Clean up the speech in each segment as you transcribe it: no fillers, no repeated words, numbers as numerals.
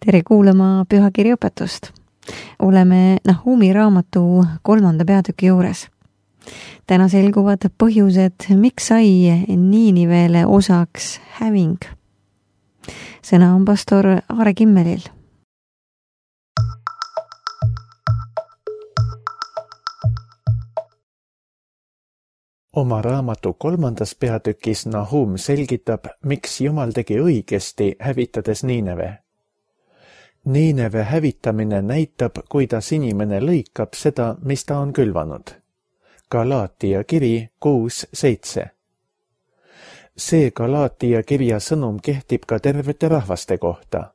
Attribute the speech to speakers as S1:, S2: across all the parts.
S1: Tere kuulama pühakirja õpetust. Oleme Nahumi raamatu 3. peatüki juures. Täna selguvad põhjused, miks sai Niinivele osaks häving. Sõna on pastor Aare Kimmelil.
S2: Oma raamatu 3. peatükis Nahum selgitab, miks Jumal tegi õigesti, hävitades Niineve. Niineve hävitamine näitab, kuidas inimene lõikab seda, mis ta on külvanud. Galaatia kiri 6:7. See Galaatia kirja sõnum kehtib ka tervete rahvaste kohta.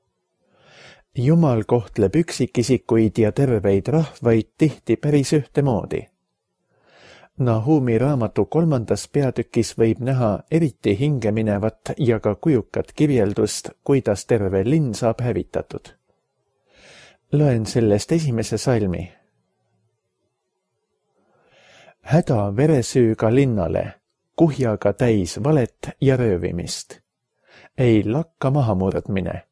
S2: Jumal kohtleb üksikisikuid ja terveid rahvaid tihti päris ühtemoodi. Nahumi raamatu 3. peatükis võib näha eriti hingeminevat ja ka kujukat kirjeldust, kuidas terve linn saab hävitatud. Loen sellest esimese salmi. Häda veresüüga linnale, kuhjaga täis valet ja röövimist. Ei lakka mahamurdmine.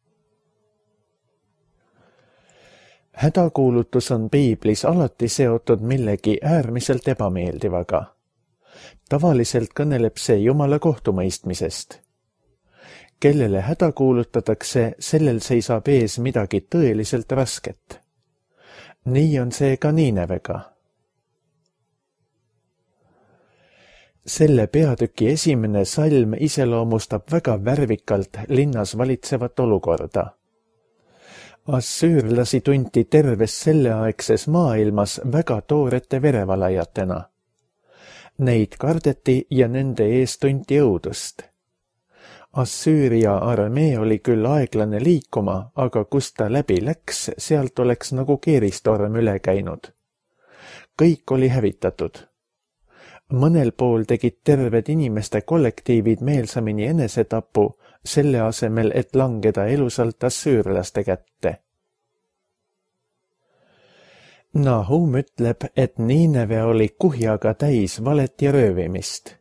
S2: Hädakuulutus on piiblis alati seotud millegi äärmiselt ebameeldivaga. Tavaliselt kõneleb see Jumala kohtumõistmisest. Kellele häda kuulutatakse, sellel seisab ees midagi tõeliselt rasket. Nii on see ka Niinevega. Selle peatüki esimene salm iseloomustab väga värvikalt linnas valitsevat olukorda. Assüürlasi tunti terves selleaegses maailmas väga toorete verevalajatena. Neid kardeti ja nende ees tunti õudust. Assüüria armee oli küll aeglane liikuma, aga kust ta läbi läks, sealt oleks nagu keeristorm üle käinud. Kõik oli hävitatud. Mõnel pool tegid terved inimeste kollektiivid meelsamini enesetapu, selle asemel, et langeda elusalt assüürlaste kätte. Nahum ütleb, et Niineve oli kuhjaga täis valet ja röövimist.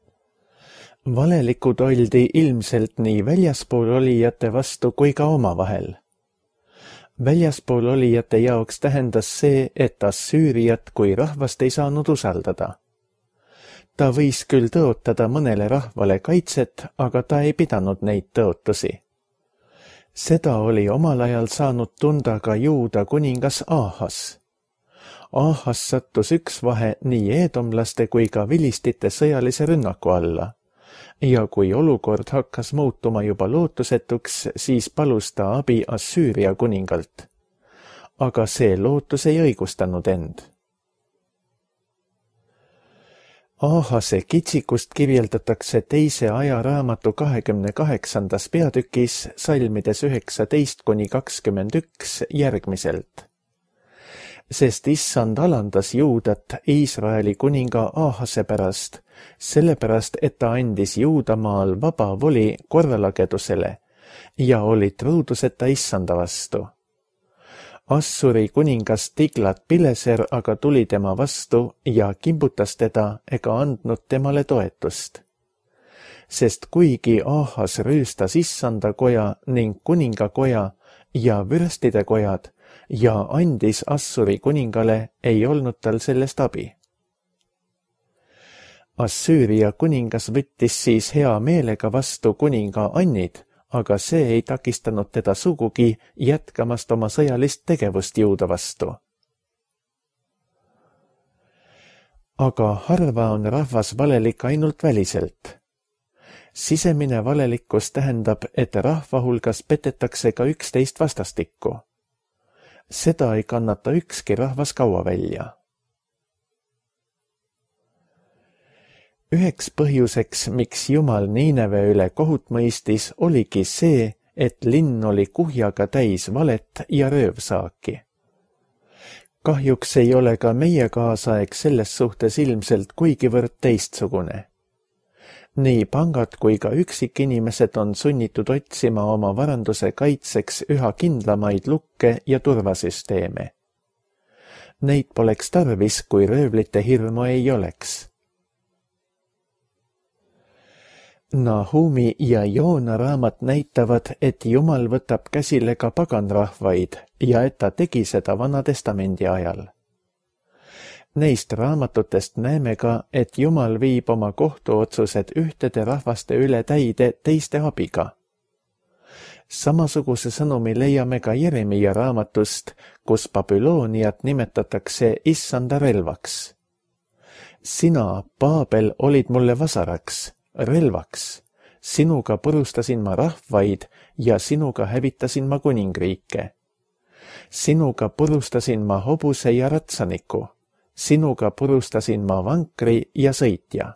S2: Valelikud oldi ilmselt nii väljaspool olijate vastu kui ka omavahel. Väljaspool olijate jaoks tähendas see, et Assüüriat kui rahvast ei saanud usaldada. Ta võis küll tõotada mõnele rahvale kaitset, aga ta ei pidanud neid tõotusi. Seda oli omal ajal saanud tunda ka Juuda kuningas Ahas. Ahas sattus üks vahe nii eedomlaste kui ka vilistite sõjalise rünnaku alla. Ja kui olukord hakkas muutuma juba lootusetuks, siis palus ta abi Assüüria kuningalt. Aga see lootus ei õigustanud end. Ahase kitsikust kirjeldatakse teise ajaraamatu 28. peatükis salmides 19-21 järgmiselt. Sest issand alandas Juudat Iisraeli kuninga Ahase pärast, sellepärast, et ta andis Juudamaal vaba voli korralagedusele ja oli truuduseta issanda vastu. Assuri kuningas Tiglat-Pileser aga tuli tema vastu ja kimbutas teda ega andnud temale toetust. Sest kuigi Ahas rüüstas issanda koja ning kuningakoja ja vürstide kojad ja andis Assuri kuningale, ei olnud tal sellest abi. Assüüria kuningas võttis siis hea meelega vastu kuninga annid, aga see ei takistanud teda sugugi jätkamast oma sõjalist tegevust Juuda vastu. Aga harva on rahvas valelik ainult väliselt. Sisemine valelikkus tähendab, et rahva hulgas petetakse ka üksteist vastastikku. Seda ei kannata ükski rahvas kaua välja. Üheks põhjuseks, miks Jumal Niineve üle kohut mõistis, oligi see, et linn oli kuhjaga täis valet ja röövsaaki. Kahjuks ei ole ka meie kaasaeg selles suhtes ilmselt kuigivõrd teistsugune. Nii pangad kui ka üksikinimesed on sunnitud otsima oma varanduse kaitseks üha kindlamaid lukke ja turvasüsteeme. Neid poleks tarvis, kui röövlite hirmu ei oleks. Nahumi ja Joona raamat näitavad, et Jumal võtab käsile ka paganrahvaid ja et ta tegi seda Vana Testamendi ajal. Neist raamatutest näeme ka, et Jumal viib oma kohtuotsused ühtede rahvaste üle täide teiste abiga. Samasuguse sõnumi leiame ka Jeremia raamatust, kus Babyloniat nimetatakse issanda relvaks. Sina, Paabel, olid mulle vasaraks, relvaks. Sinuga purustasin ma rahvaid ja sinuga hävitasin ma kuningriike. Sinuga purustasin ma hobuse ja ratsaniku. Sinuga purustasin ma vankri ja sõitja.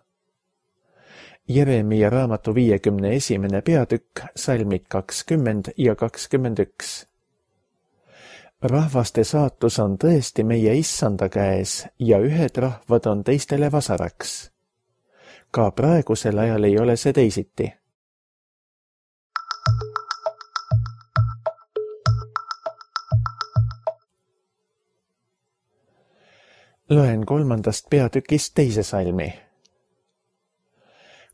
S2: Jeremia raamatu 51. peatükk, salmid 20 ja 21. Rahvaste saatus on tõesti meie issanda käes ja ühed rahvad on teistele vasaraks. Ka praegusel ajal ei ole see teisiti. Loen 3. peatükist 2. salmi.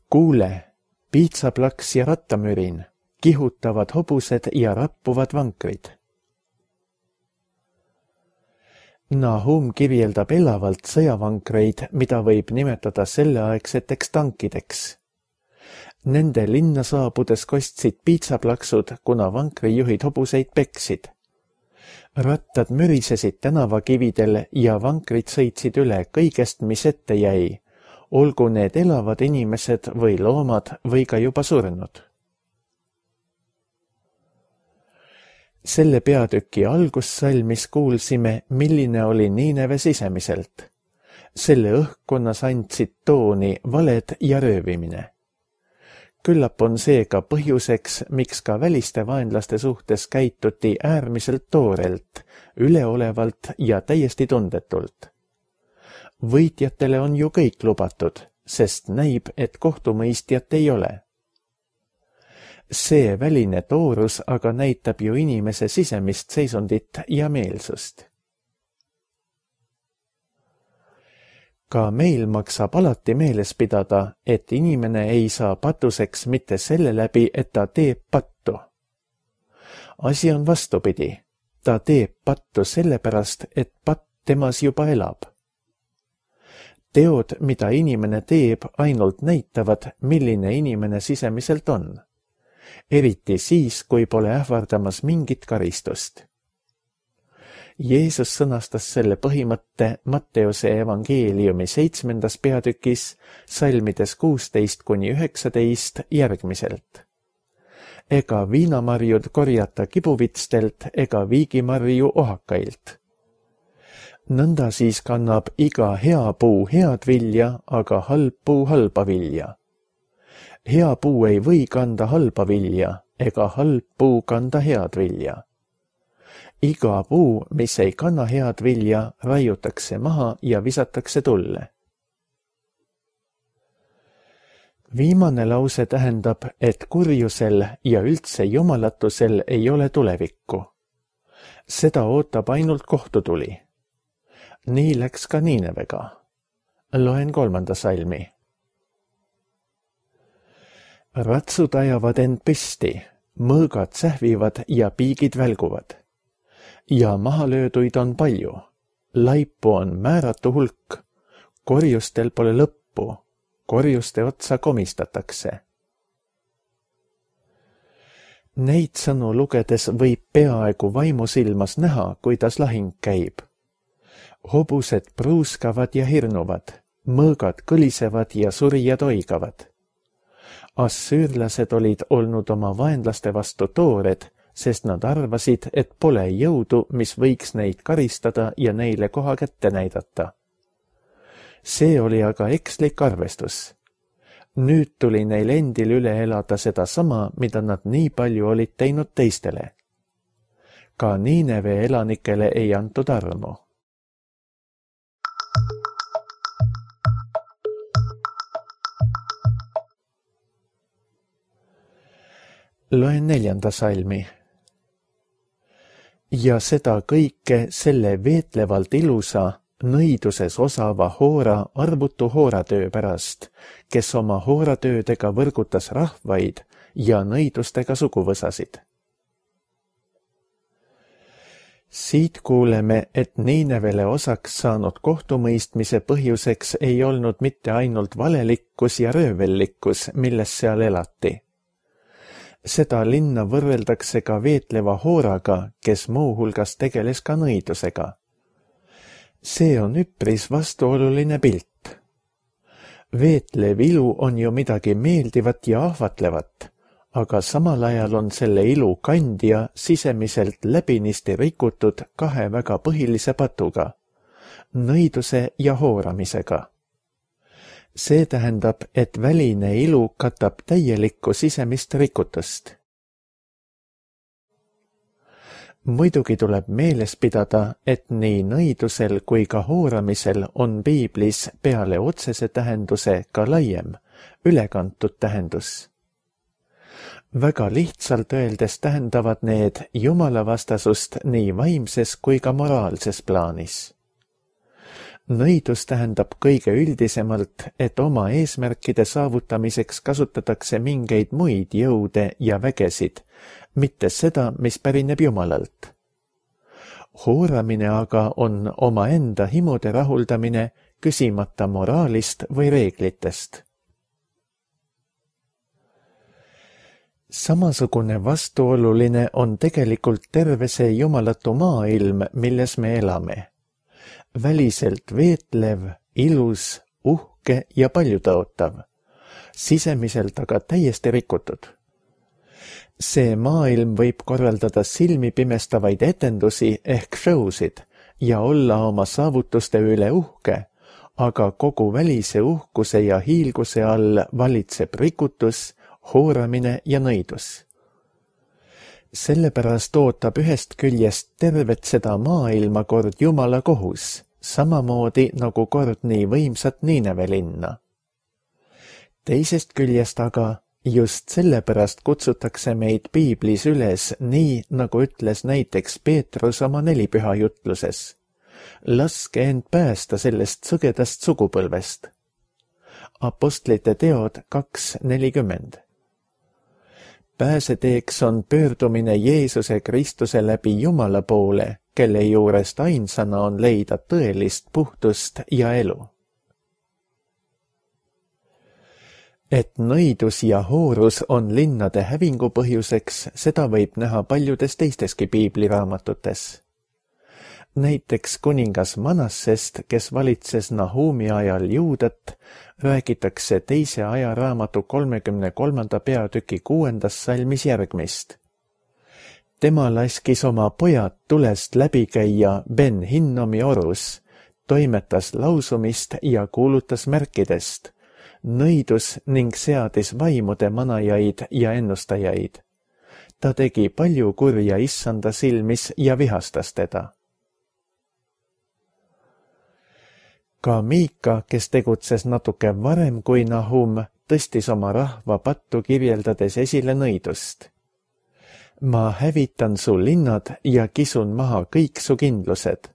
S2: Kuule, piitsaplaks ja rattamürin, kihutavad hobused ja rappuvad vankrid. Nahum kirjeldab elavalt sõjavankreid, mida võib nimetada selleaegseteks tankideks. Nende linna saabudes kostsid piitsaplaksud, kuna vankrijuhid hobuseid peksid. Rattad mürisesid tänavakividel ja vankrid sõitsid üle kõigest, mis ette jäi, olgu need elavad inimesed või loomad või ka juba surnud. Selle peatüki algussalmis kuulsime, milline oli Niineve sisemiselt. Selle õhkkonnas andsid tooni valed ja röövimine. Küllap on see ka põhjuseks, miks ka väliste vaenlaste suhtes käituti äärmiselt toorelt, üleolevalt ja täiesti tundetult. Võitjatele on ju kõik lubatud, sest näib, et kohtumõistjat ei ole. See väline toorus aga näitab ju inimese sisemist seisundit ja meelsust. Ka meil maksab alati meeles pidada, et inimene ei saa patuseks mitte selle läbi, et ta teeb pattu. Asi on vastupidi. Ta teeb pattu sellepärast, et patt temas juba elab. Teod, mida inimene teeb, ainult näitavad, milline inimene sisemiselt on. Eriti siis, kui pole ähvardamas mingit karistust. Jeesus sõnastas selle põhimõtte Matteuse evangeeliumi 7. peatükis, salmides 16-19 järgmiselt. Ega viinamarjud korjata kibuvitstelt ega viigimarju ohakailt. Nõnda siis kannab iga hea puu head vilja, aga halb puu halba vilja. Hea puu ei või kanda halba vilja, ega halb puu kanda head vilja. Iga puu, mis ei kanna head vilja, raiutakse maha ja visatakse tulle. Viimane lause tähendab, et kurjusel ja üldse jumalatusel ei ole tulevikku. Seda ootab ainult kohtutuli. Nii läks ka Niinevega. Loen 3. salmi. Ratsud ajavad end püsti, mõõgad sähvivad ja piigid välguvad. Ja mahalööduid on palju. Laipu on määratu hulk. Korjustel pole lõppu. Korjuste otsa komistatakse. Neid sõnu lugedes võib peaaegu vaimusilmas näha, kuidas lahing käib. Hobused pruuskavad ja hirnuvad, mõõgad kõlisevad ja surijad oigavad. Assüürlased olid olnud oma vaenlaste vastu toored, sest nad arvasid, et pole jõudu, mis võiks neid karistada ja neile koha kätte näidata. See oli aga ekslik arvestus. Nüüd tuli neil endil üle elada seda sama, mida nad nii palju olid teinud teistele. Ka Niineve elanikele ei antud armu. Loen 4. salmi. Ja seda kõike selle veetlevalt ilusa, nõiduses osava hoora arvutu hooratöö pärast, kes oma hooratöödega võrgutas rahvaid ja nõidustega suguvõsasid. Siit kuuleme, et Niinevele osaks saanud kohtumõistmise põhjuseks ei olnud mitte ainult valelikkus ja röövellikkus, milles seal elati. Seda linna võrreldakse ka veetleva hooraga, kes muuhulgas tegeles ka nõidusega. See on üpris vastuoluline pilt. Veetlev ilu on ju midagi meeldivat ja ahvatlevat, aga samal ajal on selle ilu kandja sisemiselt läbinisti rikutud kahe väga põhilise patuga, nõiduse ja hooramisega. See tähendab, et väline ilu katab täielikku sisemist rikutust. Muidugi tuleb meeles pidada, et nii nõidusel kui ka hooramisel on piiblis peale otsese tähenduse ka laiem, ülekantud tähendus. Väga lihtsalt öeldes tähendavad need jumalavastasust nii vaimses kui ka moraalses plaanis. Nõidus tähendab kõige üldisemalt, et oma eesmärkide saavutamiseks kasutatakse mingeid muid jõude ja vägesid, mitte seda, mis pärineb Jumalalt. Hooramine aga on omaenda himude rahuldamine, küsimata moraalist või reeglitest. Samasugune vastuoluline on tegelikult terve see jumalatu maailm, milles me elame. Väliselt veetlev, ilus, uhke ja paljutõotav, sisemiselt aga täiesti rikutud. See maailm võib korraldada silmi pimestavaid etendusi ehk showsid ja olla oma saavutuste üle uhke, aga kogu välise uhkuse ja hiilguse all valitseb rikutus, hooramine ja nõidus. Sellepärast ootab ühest küljest tervet seda maailma kord Jumala kohus, samamoodi nagu kord nii võimsat Niineve linna. Teisest küljest aga just sellepärast kutsutakse meid piiblis üles nii, nagu ütles näiteks Peetrus oma nelipüha jutluses. Laske end päästa sellest sõgedast sugupõlvest. Apostlite teod 2:40. Pääseteeks on pöördumine Jeesuse Kristuse läbi Jumala poole, kelle juurest ainsana on leida tõelist puhtust ja elu. Et nõidus ja hoorus on linnade hävingu põhjuseks, seda võib näha paljudes teisteski piibliraamatutes. Näiteks kuningas Manassest, kes valitses Nahumi ajal Juudat, räägitakse teise ajaraamatu 33. peatüki 6. salmis järgmist. Tema laskis oma pojad tulest läbi käia Ben-Hinnomi orus, toimetas lausumist ja kuulutas märkidest, nõidus ning seadis vaimude manajaid ja ennustajaid. Ta tegi palju kurja issanda silmis ja vihastas teda. Ka Miika, kes tegutses natuke varem kui Nahum, tõstis oma rahva pattu kirjeldades esile nõidust. Ma hävitan su linnad ja kisun maha kõik su kindlused.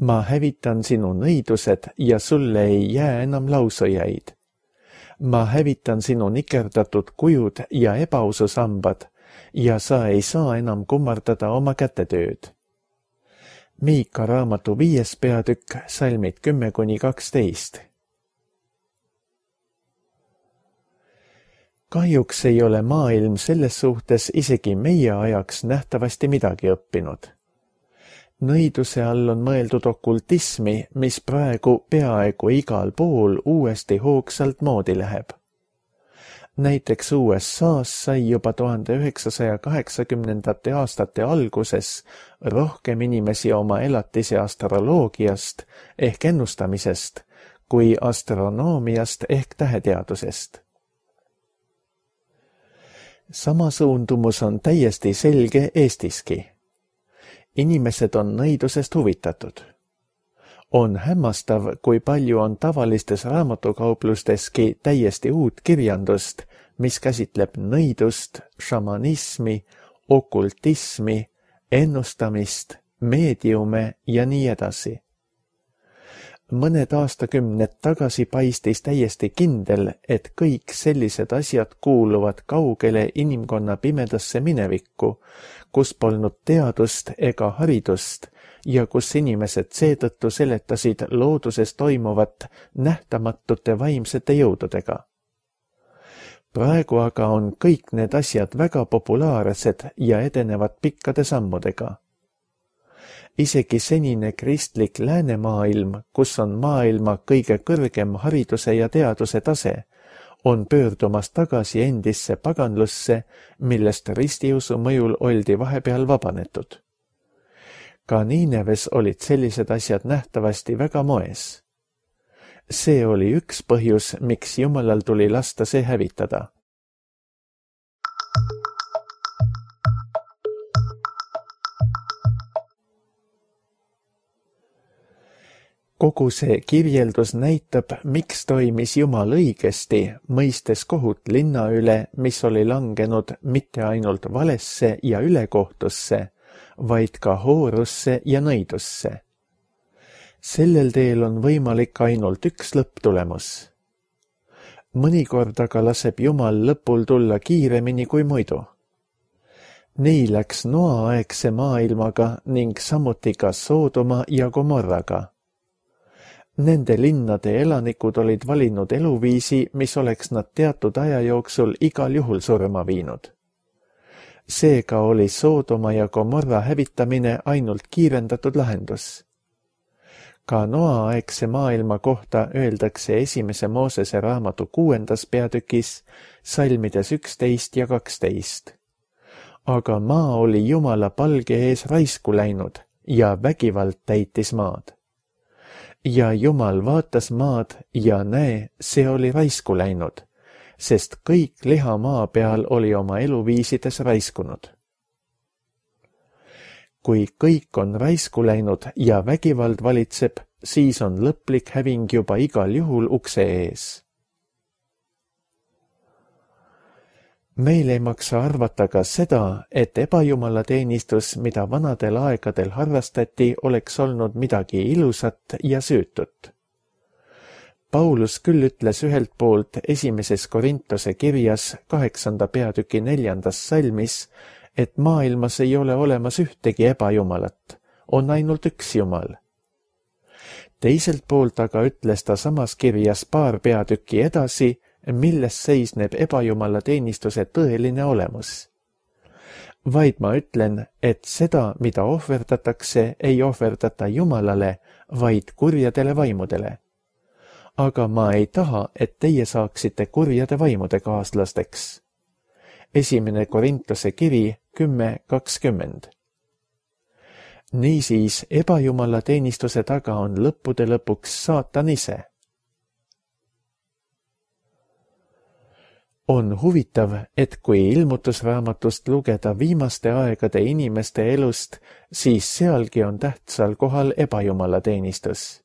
S2: Ma hävitan sinu nõidused ja sulle ei jää enam lausujaid. Ma hävitan sinu nikerdatud kujud ja ebaususambad ja sa ei saa enam kummardada oma kätetööd. Miika raamatu 5. peatükk, salmid 10–12. Kahjuks ei ole maailm selles suhtes isegi meie ajaks nähtavasti midagi õppinud. Nõiduse all on mõeldud okultismi, mis praegu peaaegu igal pool uuesti hoogsalt moodi läheb. Näiteks USA's sai juba 1980. aastate alguses rohkem inimesi oma elatise astroloogiast ehk ennustamisest kui astronoomiast ehk täheteadusest. Sama suundumus on täiesti selge Eestiski. Inimesed on nõidusest huvitatud. On hämmastav, kui palju on tavalistes raamatukauplusteski täiesti uut kirjandust, mis käsitleb nõidust, šamanismi, okultismi, ennustamist, meediume ja nii edasi. mõned aastakümned tagasi paistis täiesti kindel, et kõik sellised asjad kuuluvad kaugele inimkonna pimedasse minevikku, kus polnud teadust ega haridust ja kus inimesed seetõttu seletasid looduses toimuvat nähtamatute vaimsete jõududega. Praegu aga on kõik need asjad väga populaarsed ja edenevad pikkade sammudega. Isegi senine kristlik läänemaailm, kus on maailma kõige kõrgem hariduse ja teaduse tase, on pöördumas tagasi endisse paganlusse, millest ristiusu mõjul oldi vahepeal vabanetud. Ka Niineves olid sellised asjad nähtavasti väga moes. See oli üks põhjus, miks Jumalal tuli lasta see hävitada. Kogu see kirjeldus näitab, miks toimis Jumal õigesti, mõistes kohut linna üle, mis oli langenud mitte ainult valesse ja ülekohtusse, vaid ka hoorusse ja nõidusse. Sellel teel on võimalik ainult üks lõpptulemus. Mõnikord aga laseb Jumal lõpul tulla kiiremini kui muidu. Nii läks Noa-aegse maailmaga ning samuti ka Soodoma ja Gomorraga. Nende linnade elanikud olid valinud eluviisi, mis oleks nad teatud aja jooksul igal juhul surma viinud. Seega oli Soodoma ja Gomorra hävitamine ainult kiirendatud lahendus. Ka Noa-aegse maailma kohta öeldakse esimese Moosese raamatu 6. peatükis, salmides 11 ja 12. Aga maa oli Jumala palge ees raisku läinud ja vägivald täitis maad. Ja Jumal vaatas maad ja näe, see oli raisku läinud, sest kõik liha maa peal oli oma eluviisides raiskunud. Kui kõik on raisku läinud ja vägivald valitseb, siis on lõplik häving juba igal juhul ukse ees. Meil ei maksa arvata ka seda, et ebajumalateenistus, mida vanadel aegadel harrastati, oleks olnud midagi ilusat ja süütut. Paulus küll ütles ühelt poolt esimeses Korintuse kirjas 8. peatüki 4. salmis, et maailmas ei ole olemas ühtegi ebajumalat, on ainult üks Jumal. Teiselt poolt aga ütles ta samas kirjas paar peatükki edasi, milles seisneb ebajumalateenistuse tõeline olemus. Vaid ma ütlen, et seda, mida ohverdatakse, ei ohverdata Jumalale, vaid kurjadele vaimudele. Aga ma ei taha, et teie saaksite kurjade vaimude kaaslasteks. Esimene Korintuse kiri 10:20. Niisiis, ebajumalateenistuse taga on lõppude lõpuks saatan ise. On huvitav, et kui ilmutusraamatust lugeda viimaste aegade inimeste elust, siis sealgi on tähtsal kohal ebajumalateenistus.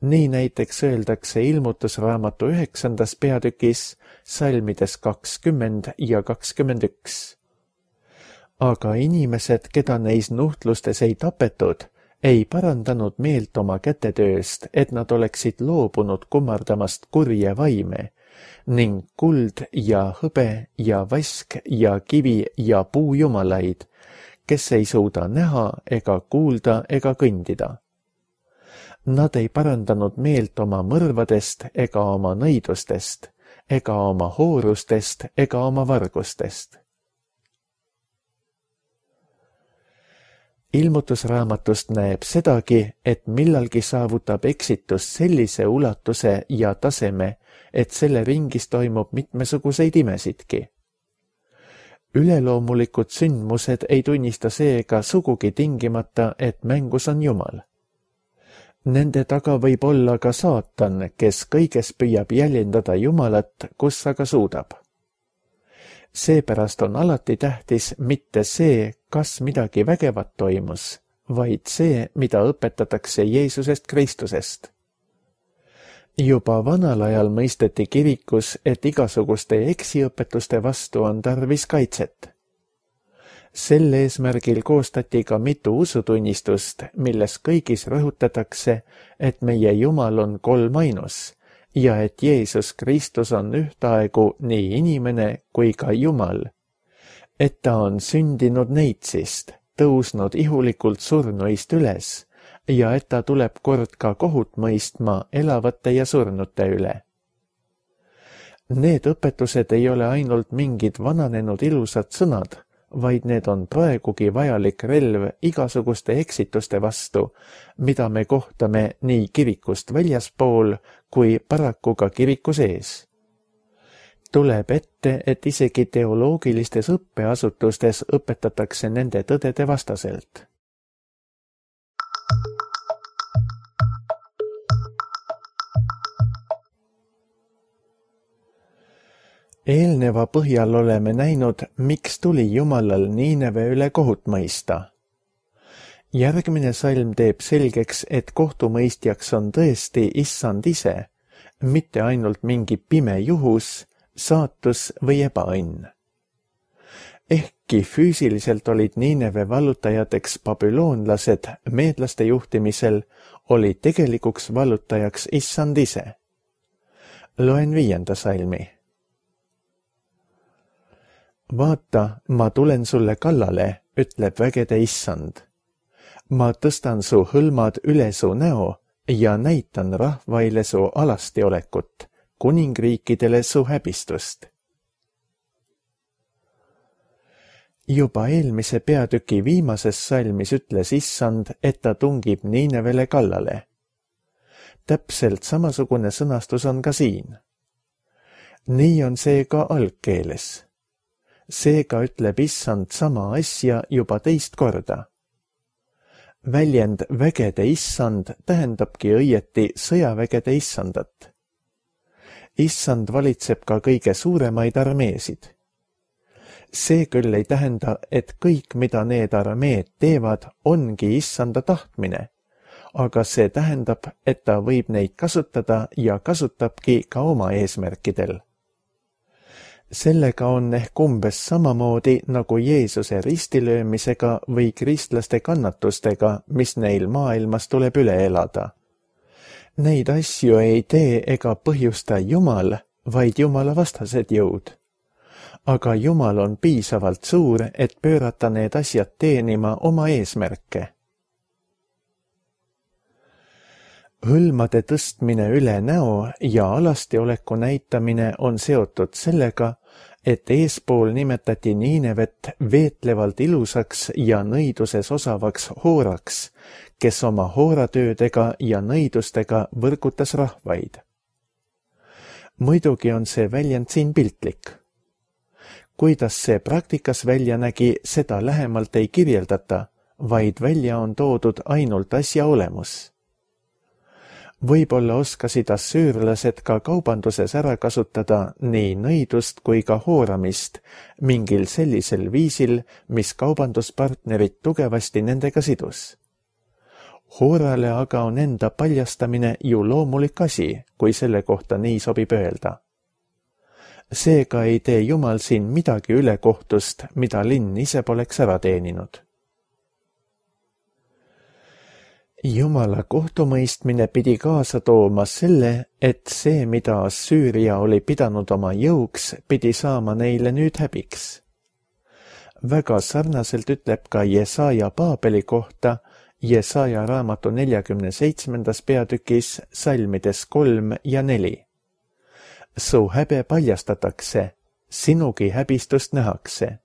S2: Nii näiteks öeldakse ilmutusraamatu 9. peatükis, salmides 20 ja 21. Aga inimesed, keda neis nuhtlustes ei tapetud, ei parandanud meelt oma kätetööst, et nad oleksid loobunud kummardamast kurje vaime, ning kuld ja hõbe ja vask ja kivi ja puujumalaid, kes ei suuda näha ega kuulda ega kõndida. Nad ei parandanud meelt oma mõrvadest ega oma nõidustest, ega oma hoorustest ega oma vargustest. Ilmutusraamatust näeb sedagi, et millalgi saavutab eksitus sellise ulatuse ja taseme, et selle ringis toimub mitmesuguseid imesidki. Üleloomulikud sündmused ei tunnista seega sugugi tingimata, et mängus on Jumal. Nende taga võib olla ka saatan, kes kõiges püüab jäljendada Jumalat, kus aga suudab. Seepärast on alati tähtis mitte see, kas midagi vägevat toimus, vaid see, mida õpetatakse Jeesusest Kristusest. Juba vanal ajal mõisteti kirikus, et igasuguste eksiõpetuste vastu on tarvis kaitset. Sel eesmärgil koostati ka mitu usutunnistust, milles kõigis rõhutatakse, et meie Jumal on kolmainus ja et Jeesus Kristus on ühtaegu nii inimene kui ka Jumal, et ta on sündinud neitsist, tõusnud ihulikult surnuist üles ja et ta tuleb kord ka kohut mõistma elavate ja surnute üle. Need õpetused ei ole ainult mingid vananenud ilusad sõnad, vaid need on praegugi vajalik relv igasuguste eksituste vastu, mida me kohtame nii kirikust väljaspool kui paraku ka kiriku sees. Tuleb ette, et isegi teoloogilistes õppeasutustes õpetatakse nende tõdede vastaselt. Eelneva põhjal oleme näinud, miks tuli Jumalal Niineve üle kohut mõista. Järgmine salm teeb selgeks, et kohtumõistjaks on tõesti Issand ise, mitte ainult mingi pime juhus, saatus või ebaõnn. Ehkki füüsiliselt olid Niineve vallutajateks babüloonlased meedlaste juhtimisel, oli tegelikuks vallutajaks Issand ise. Loen 5. salmi. Vaata, ma tulen sulle kallale, ütleb vägede Issand. Ma tõstan su hõlmad üle su näo ja näitan rahvaile su alastiolekut, kuningriikidele su häbistust. Juba eelmise peatüki viimases salmis ütles Issand, et ta tungib Niinevele kallale. Täpselt samasugune sõnastus on ka siin. Nii on see ka algkeeles. Seega ütleb Issand sama asja juba teist korda. Väljend vägede Issand tähendabki õieti sõjavägede Issandat. Issand valitseb ka kõige suuremaid armeesid. See küll ei tähenda, et kõik, mida need armeed teevad, ongi Issanda tahtmine, aga see tähendab, et ta võib neid kasutada ja kasutabki ka oma eesmärkidel. Sellega on ehk umbes samamoodi nagu Jeesuse ristilöömisega või kristlaste kannatustega, mis neil maailmas tuleb üle elada. Neid asju ei tee ega põhjusta Jumal, vaid Jumala vastased jõud. Aga Jumal on piisavalt suur, et pöörata need asjad teenima oma eesmärke. Hõlmade tõstmine üle näo ja alastioleku näitamine on seotud sellega, et eespool nimetati Niinevet veetlevalt ilusaks ja nõiduses osavaks hooraks, kes oma hooratöödega ja nõidustega võrgutas rahvaid. Muidugi on see väljend siin piltlik. Kuidas see praktikas välja nägi, seda lähemalt ei kirjeldata, vaid välja on toodud ainult asja olemus. Võib-olla oskasid assüürlased ka kaubanduses ära kasutada nii nõidust kui ka hooramist mingil sellisel viisil, mis kaubanduspartnerid tugevasti nendega sidus. Hoorale aga on enda paljastamine ju loomulik asi, kui selle kohta nii sobib öelda. Seega ei tee Jumal siin midagi ülekohtust, mida linn ise poleks ära teeninud. Jumala kohtumõistmine pidi kaasa tooma selle, et see, mida Assüüria oli pidanud oma jõuks, pidi saama neile nüüd häbiks. Väga sarnaselt ütleb ka Jesaja Paabeli kohta Jesaja raamatu 47. peatükis salmides 3 ja 4. Su häbe paljastatakse, sinugi häbistust nähakse.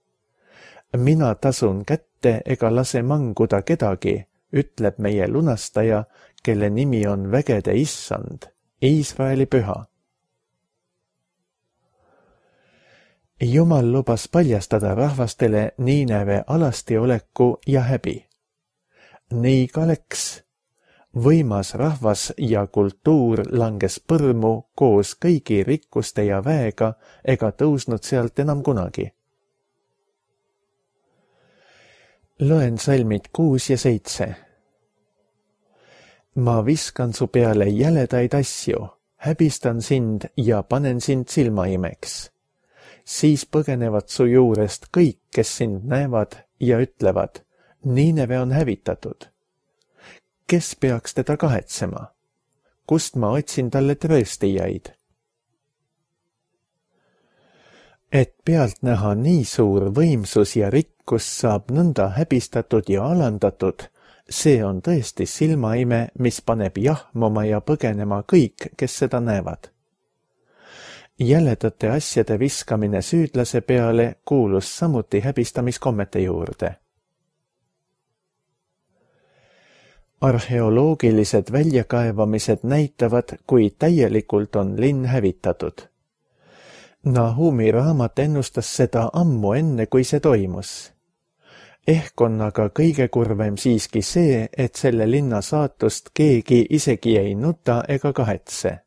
S2: Mina tasun kätte ega lase manguda kedagi, ütleb meie lunastaja, kelle nimi on vägede Issand, Iisraeli püha. Jumal lubas paljastada rahvastele Niineve alastioleku ja häbi. Nii ka läks. Võimas rahvas ja kultuur langes põrmu koos kõigi rikkuste ja väega ega tõusnud sealt enam kunagi. Loen salmid 6 ja 7. Ma viskan su peale jäledaid asju, häbistan sind ja panen sind silmaimeks. Siis põgenevad su juurest kõik, kes sind näevad ja ütlevad, Niineve on hävitatud. Kes peaks teda kahetsema? Kust ma otsin talle trööstijaid? Et pealt näha nii suur võimsus ja rikkus saab nõnda häbistatud ja alandatud, see on tõesti silmaime, mis paneb jahmuma ja põgenema kõik, kes seda näevad. Jäledate asjade viskamine süüdlase peale kuulus samuti häbistamiskommete juurde. Arheoloogilised väljakaevamised näitavad, kui täielikult on linn hävitatud. Nahumi raamat ennustas seda ammu enne, kui see toimus. Ehk on aga kõige kurvem siiski see, et selle linna saatust keegi isegi ei nuta ega kahetse.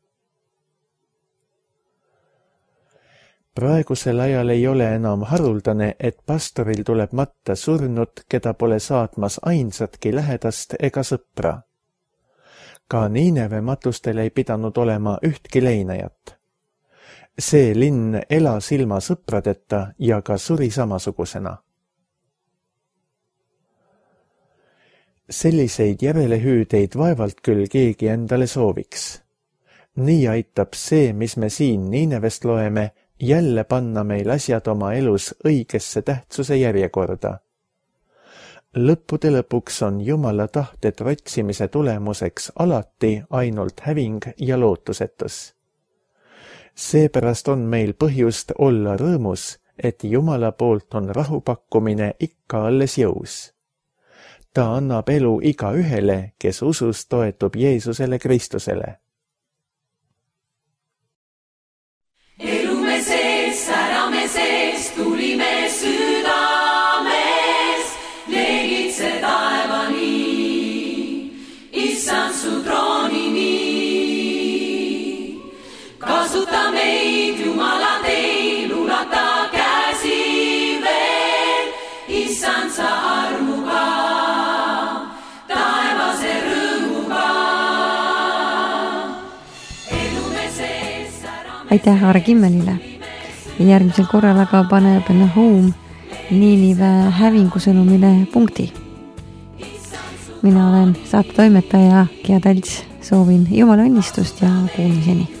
S2: Praegusel ajal ei ole enam haruldane, et pastoril tuleb matta surnut, keda pole saatmas ainsatki lähedast ega sõpra. Ka Niineve matustel ei pidanud olema ühtki leinajat. See linn elas ilma sõpradeta ja ka suri samasugusena. Selliseid järelehüüdeid vaevalt küll keegi endale sooviks. Nii aitab see, mis me siin Niinevest loeme, jälle panna meil asjad oma elus õigesse tähtsuse järjekorda. Lõppude lõpuks on Jumala tahte trotsimise tulemuseks alati ainult häving ja lootusetus. Seepärast on meil põhjust olla rõõmus, et Jumala poolt on rahupakkumine ikka alles jõus. Ta annab elu igaühele, kes usus toetub Jeesusele Kristusele.
S3: Elume sees, särame sees, tulime südames, leegitse taevani, issand su troonini. Kasuta meid, Jumala teil, ulata käsi veel, issand sa armuga, taevase rõõmuga. Elume sees, särame
S1: aitäh Aare Kimmelile. Järgmisel korral aga paneb Nahum Niinive hävingusõnumile punkti. Mina olen saate toimetaja Gea Talts, soovin Jumala õnnistust ja kuulmiseni.